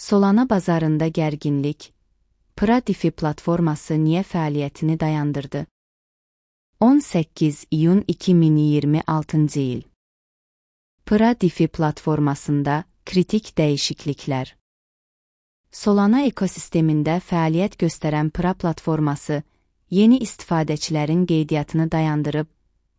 Solana bazarında gərginlik, PRA DeFi platforması niyə fəaliyyətini dayandırdı? 18 iyun 2026 il. PRA DeFi platformasında kritik dəyişikliklər. Solana ekosistemində fəaliyyət göstərən PRA platforması yeni istifadəçilərin qeydiyyatını dayandırıb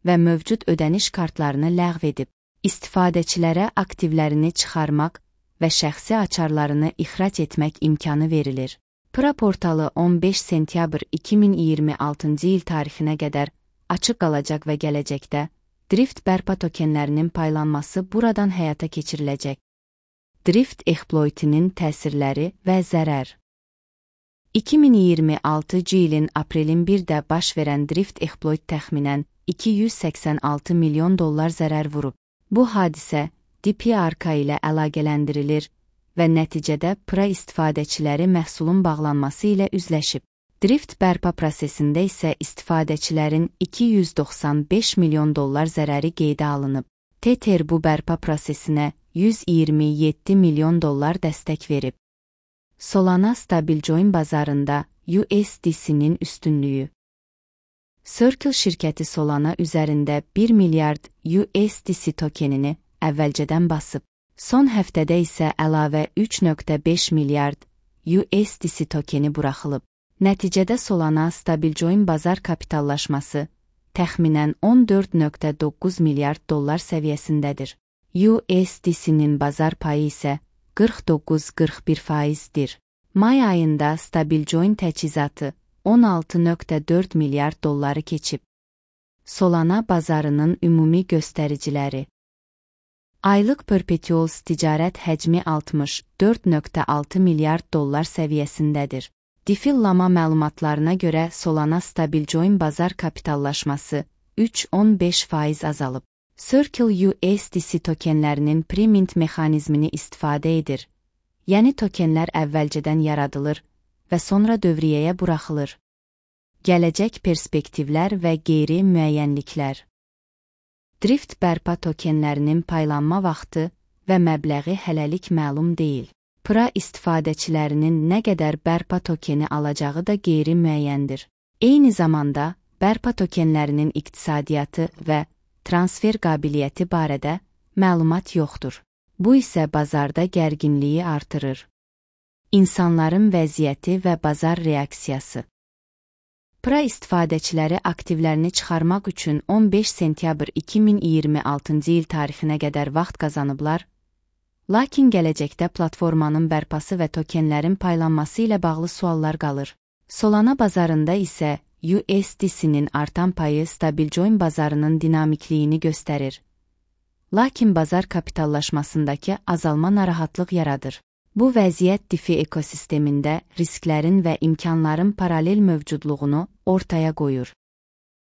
və mövcud ödəniş kartlarını ləğv edib. İstifadəçilərə aktivlərini çıxarmaq və şəxsi açarlarını ixrac etmək imkanı verilir. PRA portalı 15 sentyabr 2026 il tarixinə qədər açıq qalacaq və gələcəkdə Drift bərpa tokenlərinin paylanması buradan həyata keçiriləcək. Drift exploitinin təsirləri və zərər. 2026 ilin aprelin 1-də baş verən Drift exploit təxminən $286 milyon zərər vurub. Bu hadisə DPRK ilə əlaqələndirilir və nəticədə PRA istifadəçiləri məhsulun bağlanması ilə üzləşib. Drift bərpa prosesində isə istifadəçilərin $295 milyon zərəri qeydə alınıb. Tether bu bərpa prosesinə $127 milyon dəstək verib. Solana stablecoin bazarında USDC-nin üstünlüyü. Circle şirkəti Solana üzərində 1 milyard USDC tokenini əvvəlcədən basıb. Son həftədə isə əlavə 3.5 milyard USDC tokeni buraxılıb. Nəticədə Solana stablecoin bazar kapitallaşması təxminən $14.9 milyard səviyyəsindədir. USDC-nin bazar payı isə 49-41%dir. May ayında stablecoin təchizatı $16.4 milyard keçib. Solana bazarının ümumi göstəriciləri. Aylıq Perpetuals ticarət həcmi $64.6 milyard səviyyəsindədir. Defillama məlumatlarına görə Solana stablecoin bazar kapitallaşması 3.15% azalıb. Circle USDC tokenlərinin pre-mint mexanizmini istifadə edir. Yəni tokenlər əvvəlcədən yaradılır və sonra dövriyyəyə buraxılır. Gələcək perspektivlər və qeyri-müəyyənliklər. Drift bərpa tokenlərinin paylanma vaxtı və məbləği hələlik məlum deyil. PRA istifadəçilərinin nə qədər bərpa tokeni alacağı da qeyri-müəyyəndir. Eyni zamanda, bərpa tokenlərinin iqtisadiyyatı və transfer qabiliyyəti barədə məlumat yoxdur. Bu isə bazarda gərginliyi artırır. İnsanların vəziyyəti və bazar reaksiyası. PRA istifadəçiləri aktivlərini çıxarmaq üçün 15 sentyabr 2026 il tarixinə qədər vaxt qazanıblar, lakin gələcəkdə platformanın bərpası və tokenlərin paylanması ilə bağlı suallar qalır. Solana bazarında isə USDC-nin artan payı stablecoin bazarının dinamikliyini göstərir. Lakin bazar kapitallaşmasındakı azalma narahatlıq yaradır. Bu vəziyyət DeFi ekosistemində risklərin və imkanların paralel mövcudluğunu ortaya qoyur.